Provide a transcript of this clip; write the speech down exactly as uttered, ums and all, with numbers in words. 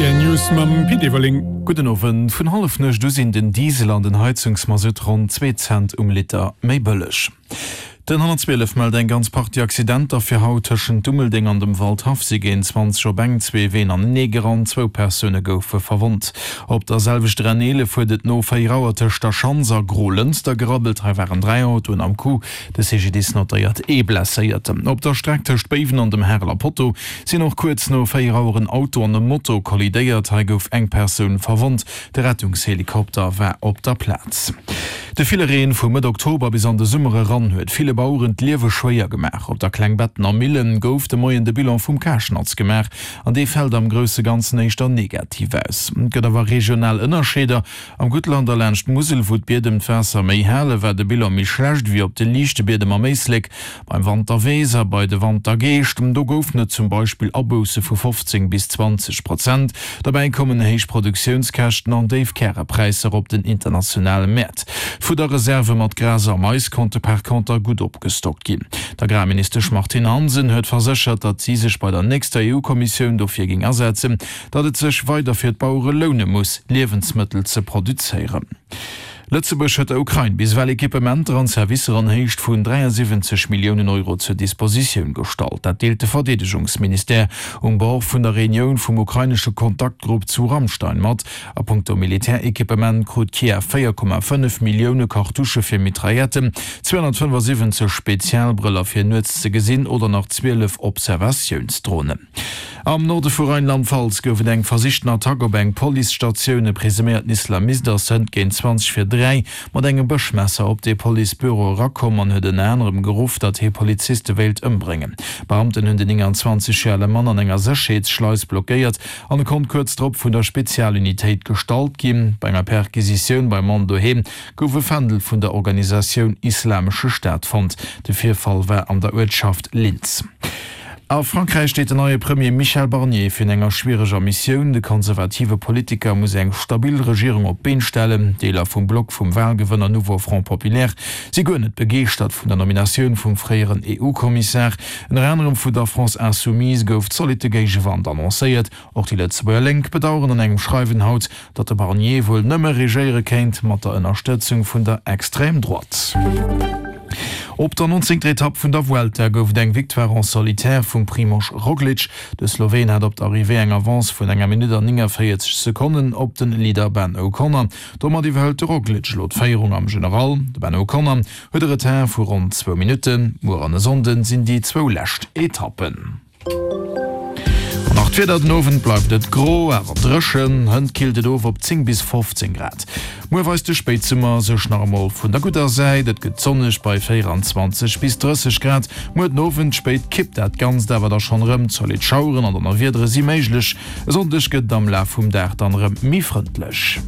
R T L News mam Pit Everling. Gudden Owend. Vun Hallefnuecht u sinn den Diesel an den Heizungsmasutt ronn zwee Cent um Liter méi bëlleg. Den honnertzwielef mellt eng ganz Partie Accidenter fir haut. Tëschent Dummeldeng an dem Waldhaff si géint zwanzeg op eng zwee Ween anenee gerannt, zwou Persoune goufe verwonnt. Op der selwechter N eelef huet et no véier Auer tëscht der Schanz a Grolënster gerabbelt. Hei waren dräi Autoen am Coup. De C G D I S notéiert ee Blesséierten. Op der Streck tëscht Béiwen an dem Hareler Potto sinn och kuerz no véier Auer en Auto an e Moto kollidéiert. Hei gouf eng Persoun verwonnt. De Rettungshelikopter war op der Plaz. De ville Reen vu Mëtt Oktober bis an de Summer eran huet ville Baueren d'Liewe schwéier gemaach. Op der Klengbettener Millen gouf de Moien de Bilan vum Karschnatz gemaach an dee fält am grousse Ganzen éischter negativ aus. Et gëtt awer regional Ënnerscheeder. Am Guttland a laanscht d'Musel, wou d'Biedem d'Waasser méi halen, war de Bilan méi schlecht wéi op de liichte Biedem am Éislek. Beim Wanterweess a bei de Wantergeescht, do goufen et zum Beispill Abousse vu fofzéng bis zwanzeg Prozent. Derbäi kommen héich Produktiounskäschten an déif Kärepräisser op den internationale Mäert. D'Fudderreserve mat Gras a Mais konnte par conter gutt opgestockt ginn. D'Agrarministesch Martine Hansen huet verséchert, datt si sech bei der nächster E U-Kommissioun dofir géing asetzen, datt et sech weider fir d'Bauere loune muss, Liewensmëttel ze produzéieren. Lëtzebuerg huet der Ukrain bis ewell Equipementer an Servicer an Héicht vun dräiasiwwenzeg Milliounen Euro zur Dispositioun gestallt. Dat deelt de Verdeedegungsministère um Bord vun der Reunioun vum ukrainesche Kontaktgrupp zu Ramstein mat. A punkto Militärequipement krut Kiew véier Komma fënnef Millioune Kartusche fir Mitrailletten, zweehonnertfënnefasiwwenzeg Spezialbrëller fir nuets ze gesinn oder nach zwielef Observatiounsdronen. Am Norde vu Rheinland-Pfalz gouf et eng versichten Attack op eng Policestatioun. E presuméierten Islamist ass hënt géint zwanzeg vir dräi mat engem Bëschmesser op de Policebüro erakomm an huet ënner anerem geruff, datt hie Poliziste wéilt ëmbréngen. Beamten hunn den nénganzwanzeg Joer ale Mann an enger Sécherheetsschleis blockéiert an e konnt kuerz drop vun der Spezialunitéit gestallt ginn. Bei enger Perquisitioun beim Mann doheem gouf e Fändel vun der Organisatioun Islamesche Staat fonnt. De Virfall war an der Uertschaft Linz. A Frankräich steet den neie Premier Michel Barnier virun enger schwiereger Missioun. De konservative Politiker muss eng stabil Regierung op d'Been stellen. Deeler vum Block vum Walgewënner Nouveau Front Populaire si guer net begeeschtert vun der Nominatioun vum fréieren E U-Kommissar. Ënner anerem vun der France Insoumise gouf zolitte Géigewand annoncéiert. Och déi Lëtzebuerger Lénk bedaueren an engem Schreiwen haut, datt de Barnier wuel nëmme regéiere kéint mat der Ënnerstëtzung vun der Extrême Droite. Op der nonzéngter Etapp vun der Vuelta gouf et eng Victoire en solitaire vum Primož Roglič. De Sloween hat op der Arrivée eng Avance vun enger Minutt an néngavéierzeg Sekonnen op den Leader Ben O'Connor. Domat iwwerhëlt de Roglič elo d'Féierung am General. De Ben O'Connor huet e Retard vu ronn zwou Minutten. Muer an e Sonnden sinn déi zwou lescht Etappen. An nach d'Wieder, Den Owend bleift et gro, awer dréchen. Hënt killt et of op zéng bis fofzéng Grad. Muer weist de Spéitsummer sech nach emol vun der gudder Säit, et gëtt sonneg bei véieranzwanzeg bis drësseg Grad. Muer den Owend spéit kippt dat Ganzt awer da schonn erëm, zolidd Schaueren an Donnerwiedere si méiglech. E Sonndeg gëtt et am Laf vum Dag dann erëm méi frëndlech.